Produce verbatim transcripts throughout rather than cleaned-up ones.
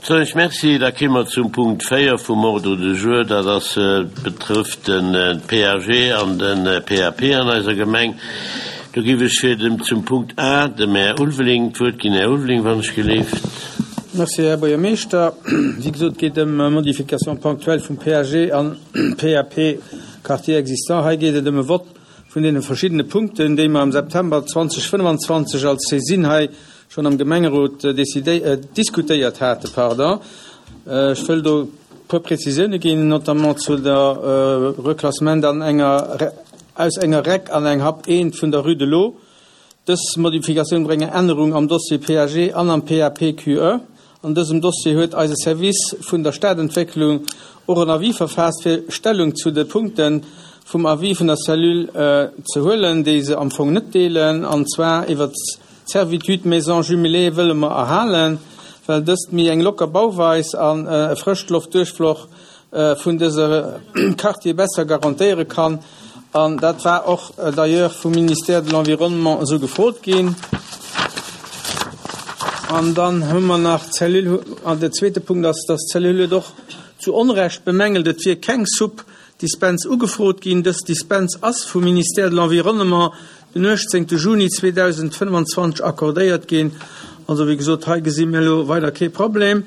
Soen ech Merci. Da kéime mer zum Punkt véier vum Ordre du jour. Dat ass, betrëfft de P A G an de P A P an eiser Gemeng. Do géif ech fir dem, zum Punkt A dem Här Ulveling d'Wuert ginn. Här Ulveling, wann ech gelift. Merci, Här Buergermeeschter. Wéi gesot, geet ëm Modification ponctuelle vum P A G an P A P Quartier existant. Hei geet et ëm e Vott vun deene verschiddene Punkten, déi mer am September zweedausendfënnfanzwanzeg als Saisine hei schonn am Gemengerot decidé äh, diskutéiert haten. Pardon. Äh, ech wëll do puer Prezisioune ginn, notamment zu der äh, Reklassement an enger aus enger REC an eng HAP eent vun der Rue de l'Eau. Dës Modifikatioun bréngt Ännerung am Dossier P A G an am P A P Q E. An dësem Dossier huet eise Service vun der Stadentwécklung och en Avis verfaasst, fir Stellung zu de Punkten vum Avis vun der Cellule äh, ze huelen, déi se am Fong net deelen, an zwar iwwer Servitude Maison jumelée wëlle mer erhalen, well dëst méi eng locker Bauweis an äh, Frëschloftduerchfloss äh, vun dëser Quartier besser garantéiere kann. An dat war och äh, d'ailleurs vum Ministère de l'Environnement esou gefrot ginn. An dann hu mer nach Cellule, an der zweete Punkt ass, dass Cellule och zu Onrecht bemängelt, et wier keng Subdispens ugefrot ginn. Dës Dispens ass vum Ministère de l'Environnement den uechtzéngte Juni zweedausendfënnfanzwanzeg accordéiert ginn. Also wéi gesot, hei gesi mir elo weider kee Problem.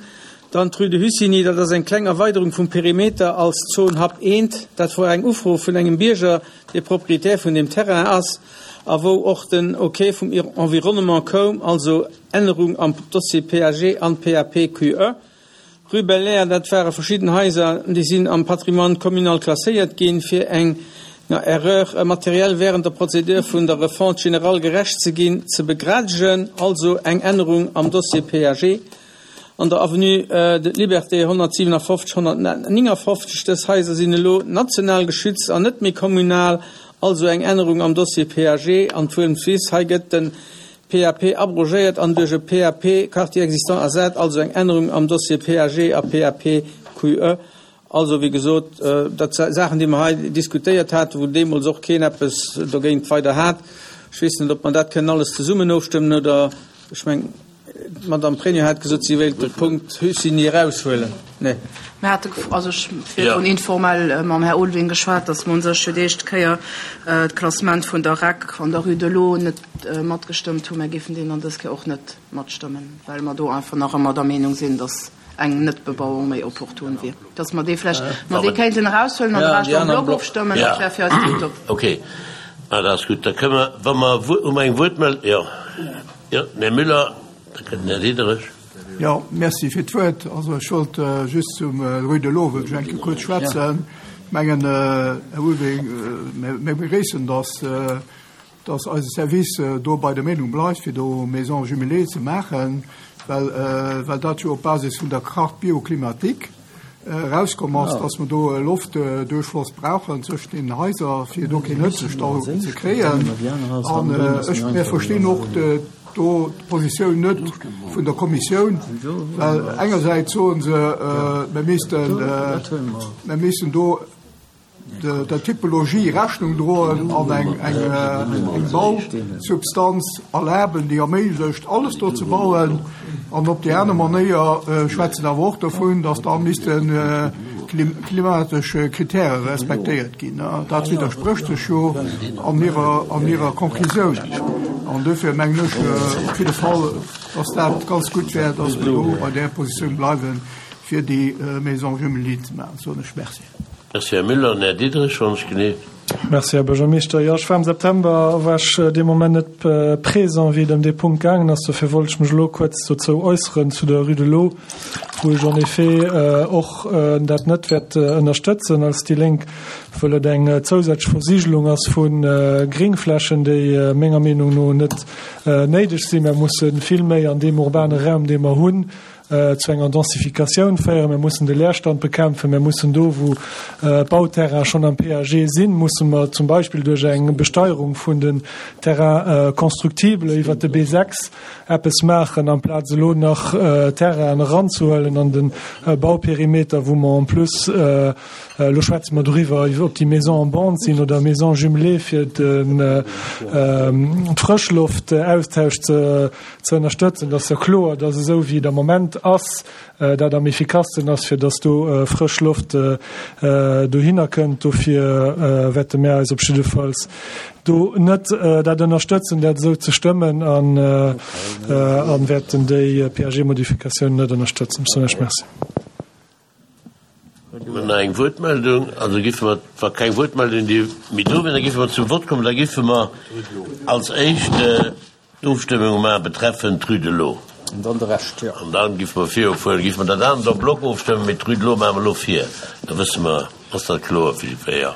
Dann d'Rue de Hussigny, dat ass eng kleng Erweiderung vum Perimeter als Zon HAP eent. Dat war eng Ufro vun engem Bierger, dee Proprietär vun dem Terrain ass, a wou och den Okay vum Environnement koum, also Ännerung am Dossier P A G an P A P Q E. Rue Bel Air, dat ware verschidden Haiser, déi sinn am Patrimoine communal klasséiert ginn, fir eng na, Erreur matérielle während der Prozedur vun der Refonte générale gerecht ze ginn, ze begradegen, also eng Ännerung am Dossier P A G. An der Avenue äh, de Liberté honnertsiwenafofzeg, honnertnénganfofzeg, dës Haiser sinn elo national geschützt an net méi kommunal, also eng Ännerung am Dossier P A G. An d'Wuelmswiss, hei gëtt den P A P abrogéiert an duerch e P A P Quartier existant ersat, also eng Ännerung am Dossier P A G a P A P Q E. Also wéi gesot, äh, dat Saachen, déi mer hei diskutéiert haten, wou deemools och keen eppes dogéint weider hat. Ech weess net, ob mer dat kënnen alles zesummen ofstëmmen oder, ech mengen, Madame Pregno hat gesot, si wéilt de Punkt Hussigny eraushuelen. Nee. Mir hate also ech ja. informell äh, mam Här Ulveling geschwat, dass mer sech fir d'éischt Kéier äh, d'Klassement vun der REC an der Rue de l'Eau net äh, matgestëmmt hunn. Mir géifen deen an dës Kéier och net matstëmmen, well mer do einfach nach ëmmer der Meenung sinn, dass eng Netbebauung méi opportun wier. Dass mer dee vläicht mer dee kéinten eraushuelen an Ja, de Rescht en bloc ofstëmmen, Ja. dat wär fir eis tiptop. Okay. Ah, dat ass gutt. Da kënne mer, wa mer ëm eng Wuertmeld, ja. Ja, Här Müller, da kënnt den Här Diderich. Ja, merci fir d'Wuert. Also ech wollt äh, just zum äh, Rue de l'Eau wëll ech kuerz schwätzen. Ja. Mengen äh, Här Ulveling, äh, mir begréissen, dass äh, dass eise Service äh, do bei der Meenung bleift, fir do Maison jumelée ze maachen, well, äh, well dat jo op Basis vun der Charte bioclimatique äh, rauskomm ass, ja. dass mer do äh, Loftduerchfloss brauchen zwëschent den Haiser, fir do keen Hëtzestau ze kréien. An äh, ech mir verstinn och de, do d'Positioun net vun der Kommissioun, well engersäits soe se, äh, mir missten, äh, mir missten do de, der Typologie Rechnung droen an eng, eng, äh, eng Bausubstanz erlaben, déi erméiglecht, alles do ze bauen. An op déi aner Manéier äh, schwätzen awer och dovun, dass da missten äh, klim klimatesch Kritäre respektéiert ginn. Dat widdersprécht sech jo an hirer, an hirer Konklusioun. An dofir mengen ech äh, op jidde Fall, dass dat ganz gutt wär, dass mer do bei der Positioun bleiwen, fir déi äh, Maison jumelée ze maachen. Soen ech Merci. Merci, Här Müller. Här Diderich, wann ech gelift. Merci, Här Buergermeeschter. Ja, ech war am September war ech äh, dee Moment net äh, présent, wéi et ëm dee Punkt gaangen ass. Dofir wollt ech mech lo kuerz dozou äusseren zu der Rue de l'Eau, wou ech en effet äh, och äh, dat net wäert äh, ënnerstëtzen als déi Lénk, well et eng äh, zousätzlech Versigelung ass vun äh, Gréngflächen, déi äh, menger Meenung no net äh, néideg sinn. Mir musse vill méi an deem urbane Raum, dee mer hunn, äh, zu enger Densifikatioun féieren. Mir mussen de Leerstand bekämpfen. Mir mussen do, wou äh, Bauterraine schonn am P A G sinn, musse mer zum Beispill duerch eng Besteierung vun den Terrain äh, constructible iwwer de B sechs eppes maachen, amplaz elo nach äh, Terrainen eranzehuelen an den äh, Bauperimeter, wou mer en plus äh, äh, lo schwätze mer doriwwer, ob déi Maison en bande sinn oder Maison jumelée, fir den äh, äh, Frëschloftaustausch ze, ze ënnerstëtzen. Dat ass jo kloer, dass esou wéi et am Moment Instrument ass, dat am effikassten ass, fir dass do frësch Loft dohinner kënnt. Dofir wäerte mir eis op jiddefalls do net dat ënnerstëtzen, dat esou ze stëmmen, an wäerten déi P A G-Modifikatioun net ënnerstëtzen. Ech soen Iech Merci. Hu mer nach eng Wuertmeldung? Also giffe mer, wa keng Wuertmeldung déi méi do wier, da giffe mer zum Vott kommen. Da giffe mer als éischt d'Ofstëmmung maache betreffend d'Rue de l'Eau. An dann de Rescht, jo. An dann giffe mer virufueren, giffe mer dat anert en bloc ofstëmmen, mee d'Rue de l'Eau maache mer elo vir. Da wësse mer, ass dat kloer fir jiddweree?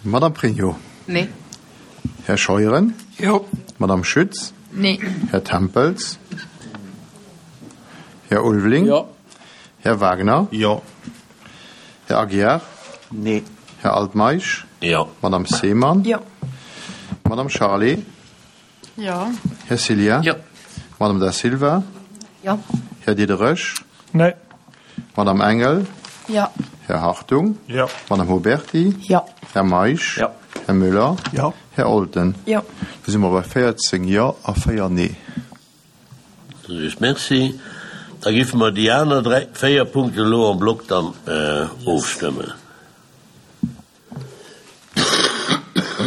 Madame Pregno. Nee. Här Scheuren. Jo. Madame Schütz. Nee. Här Tempels. Här Ulveling. Jo. Här Wagner. Jo. Här Aguiar. Nee. Här Altmeisch. Jo. Madame Seemann. Jo. Madame Charlé. Jo. Här Cillien. Jo. Madame Da Silva. Jo. Här Diderich. Nee. Madame Engel. Jo. Här Hartung. Jo. Madame Huberty. Jo. Här Meisch. Jo. Här Müller. Jo. Här Olten. Jo. Do si mer bei véierzéng Jo a véier Nee. Just Merci. Da giffe mer déi aner dräi, véier Punkte elo en bloc dann ofstëmmen.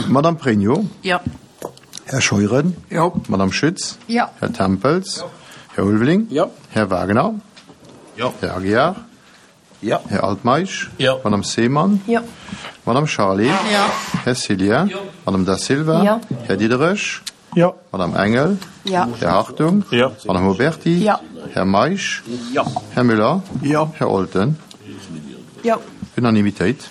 Madame Pregno. Jo. Här Scheuren. Jo. Madame Schütz. Jo. Här Tempels. Här Ulveling. Jo. Här Wagner. Jo. Här Aguiar. Jo. Här Altmeisch. Jo. Madame Seemann. Jo. Madame Charlé. Jo. Här Cillien. Madame Da Silva. Jo. Här Diderich. Jo. Madame Engel. Jo. Här Hartung. Jo. Madame Huberty. Jo. Här Meisch. Jo. Här Müller. Jo. Här Olten. Jo. Unanimitéit.